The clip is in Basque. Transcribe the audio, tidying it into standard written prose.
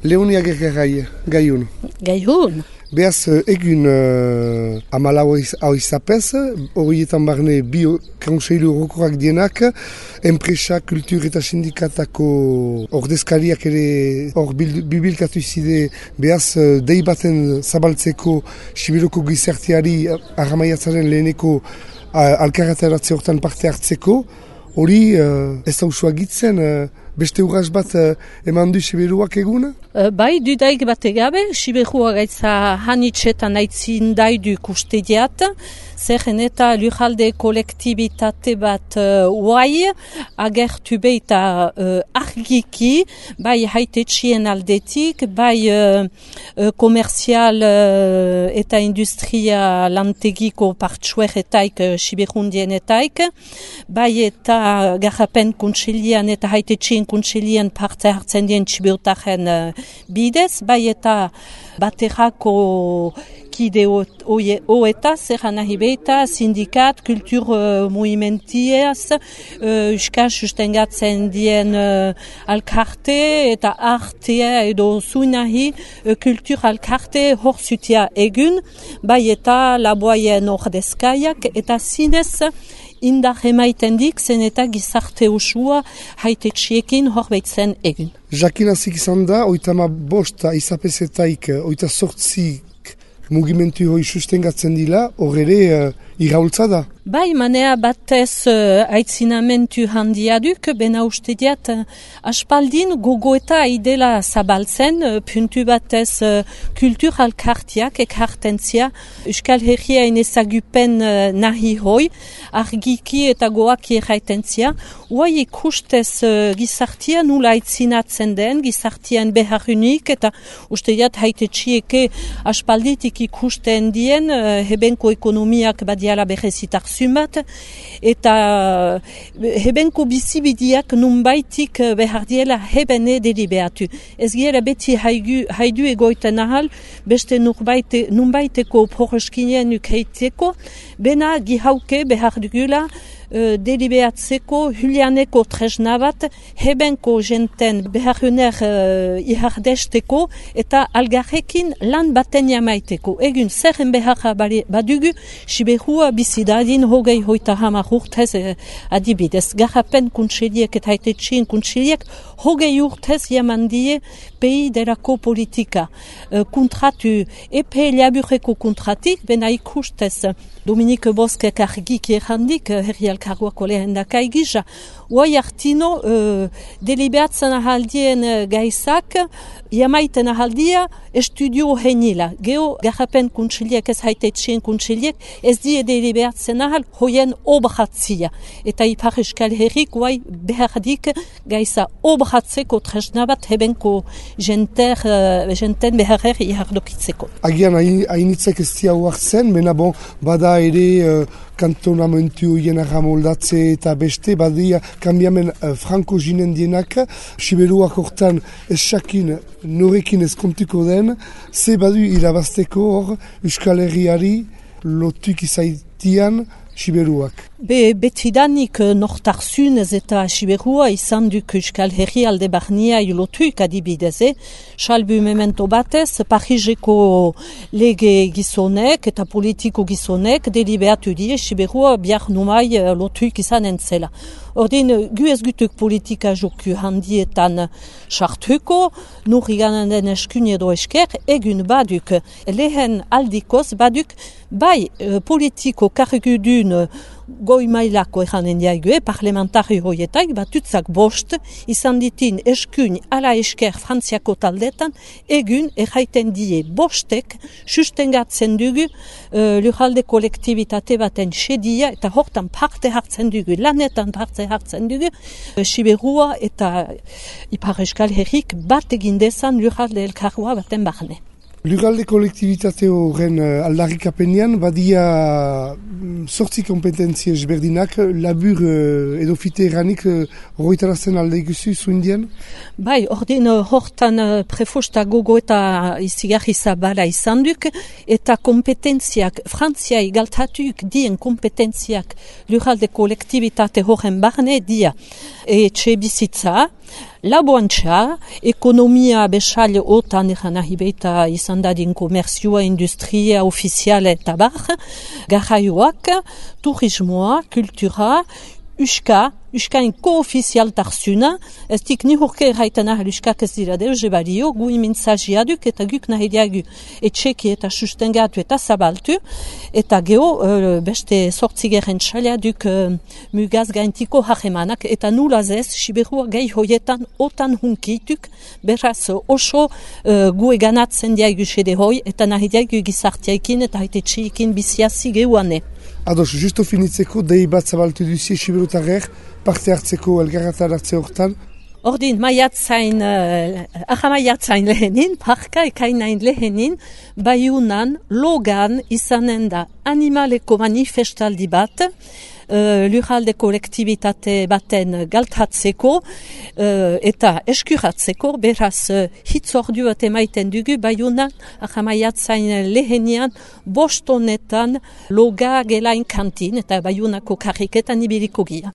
Leonia Gergarai, gaiun. Gaiun? Beaz, egun amalau hau izapez, horietan barne bi konseilu orokorrak dienak, enpresa, kultur eta sindikatako ordezkariak ere hor bibilkatu izide, beaz, dei baten zabaltzeko Siberoko gizarteari arramaiatzaren leheneko alkarrataratze hortan parte hartzeko, hori ez da usua gitzen, beste urras bat eman du Siberuak eguna? Bai, dudaik bat egabe, Siberua gaitza hanitxetan aitzin daidu kustediat, zerren eta lujalde kolektibitate bat uai, agertu beita argiki, bai haitetxien aldetik, bai komerzial eta industria lantegiko partsueretaik Siberundienetaik, bai eta garrapen kontselian eta haitetxien kontselian parte hartzen dien Siberutaren bidez, bai eta baterako kide oeta, zerra nahi beita, sindikat, kultur movimentiaz, euskal sustengatzen dien alkarte eta artea edo zuinahi kultur alkarte hor zutia egun, bai eta laboaien ordezkaiak eta zinez indar emaiten dik zen eta gizarte usua haitetxiekin hor behitzen egin. Jakin azik izan da, 85 izapezetaik, 88 mugimentu hoi sustengatzen dila, hor ere iraultza da. Bai, manea batez aitzinamentu handiaduk, bena uste diat aspaldin gogoeta idela zabaltzen, puntu batez kultur alkartiak ekartentzia, Euskal Herriain ezagupen nahi hoi, argiki eta goaki erraitentzia, uai ikustez gizartia nula aitzinatzen den, gizartian beharunik, eta uste diat haitetxieke aspalditik ikusten dien, hebenko ekonomiak badiala berezitak zumat, eta hebenko bizibidiak nunbaitik behar diela hebene deliberatu. Ez gira beti haidu egoiten ahal, beste nunbaiteko poroskinien ukeiteko, bena gihauke behar dugula deliberatzeko Julianeko tresna bat hebenko jenten beharuner ihardesteko eta algarrekin lan baten jamaiteko. Egun zerren beharra badugu Siberua bizidadin hogei hoita hamar urtez adibidez. Garrapen kuntseliek eta haitetxien kuntseliek hogei urtez jaman die pei derako politika. Kontratu epe laburreko kontratik, bena ikustez Dominik Boskek argik errandik, herri alkarguako lehendakai gisa, uai hartino deliberatzen ahaldien gaizak, jamaiten ahaldia estudio henila. Geo garrapen kuntseliek ez haitetxien kuntseliek ez die deliberatzen ahal hoien obratzia. Eta Ipar Euskal Herrik uai behardik gaiza obratzeko tresna bat hebenko jenten beharrer ihardokitzeko. Agian hainitzek ez dia huartzen, bena bon, bada ere kantonamentu hien arramoldatze eta beste, badia kambiamen franko jinen dienak, Siberuak hortan esakin norekin ez kontuko den, ze badu irabazteko hor Euskal Herriari lotuk izaitian Siberuak. Betidanik nortarzunez eta Siberua izan duk Euskal Herri alde barnia lotuik adibidez, salbu memento batez, Parijeko lege gizonek eta politiko gizonek deliberatu die Siberua biar numai lotuik izan entzela. Ordin, gu ez gutuk politika joku handietan sartuko, nurri ganan den eskun edo esker, egun baduk, lehen aldikoz baduk, bai politiko kargudun goi mailako eranen diague, parlamentari hoietak, batutzak bost, izan ditin eskun ala esker frantziako taldetan, egun erraiten die bostek, sustengatzen dugu lujalde kolektibitate baten sedia, eta hortan parte hartzen dugu, lanetan parte hartzen dugu, Siberua eta Ipar Euskal Herrik bat egin dezan lujalde elkargoa baten barne. Lugalde kolektibitate horren aldarrikapenean badia sortzi kompetentzi ezberdinak, labur edo fite eranik horretarazten alde ikusi zuindian? Bai, ordin hortan prefosta gogo eta izigarri zabala izan duk, eta kompetentziak, Frantziai galtatuk dien kompetentziak lugalde kolektibitate horren barne dia etxe bizitza, laboantxa, ekonomia besal otan egan nahi beita izan dadin komerzioa, industria, ofiziala eta bar, garraioak, turismoa, kultura, Uskain ko-ofizialtarzuna, ez dik ni horke erraiten ahal uskak ez dira deus ebalio, gu imintzaziaduk eta guk nahi diagu etxeki eta sustengatu eta zabaltu, eta geho beste sortzigeren txaliaduk mugaz gaintiko hahemanak, eta nulaz ez, Siberua gai hoietan otan hunkituk, beraz oso gu eganatzen diagu sede hoi, eta nahi diagu gizartiaikin eta haite txeikin biziazi gehuane. Ados, justo finitzeko, dei bat zabaltu duzie Siberutarrer, parte hartzeko elgarratan hartze hortan? Ordin, maiatzain lehenin, parka ekainain lehenin, Baiunan, Logan izanen da animaleko manifestaldi bat, lurralde kolektibitate baten galtatzeko eta eskuratzeko, beraz hitzordu bat emaiten dugu Baiunan, maiatzain lehenian, bostonetan Loga gelain kantin eta Baiunako karriketan ibiliko gira.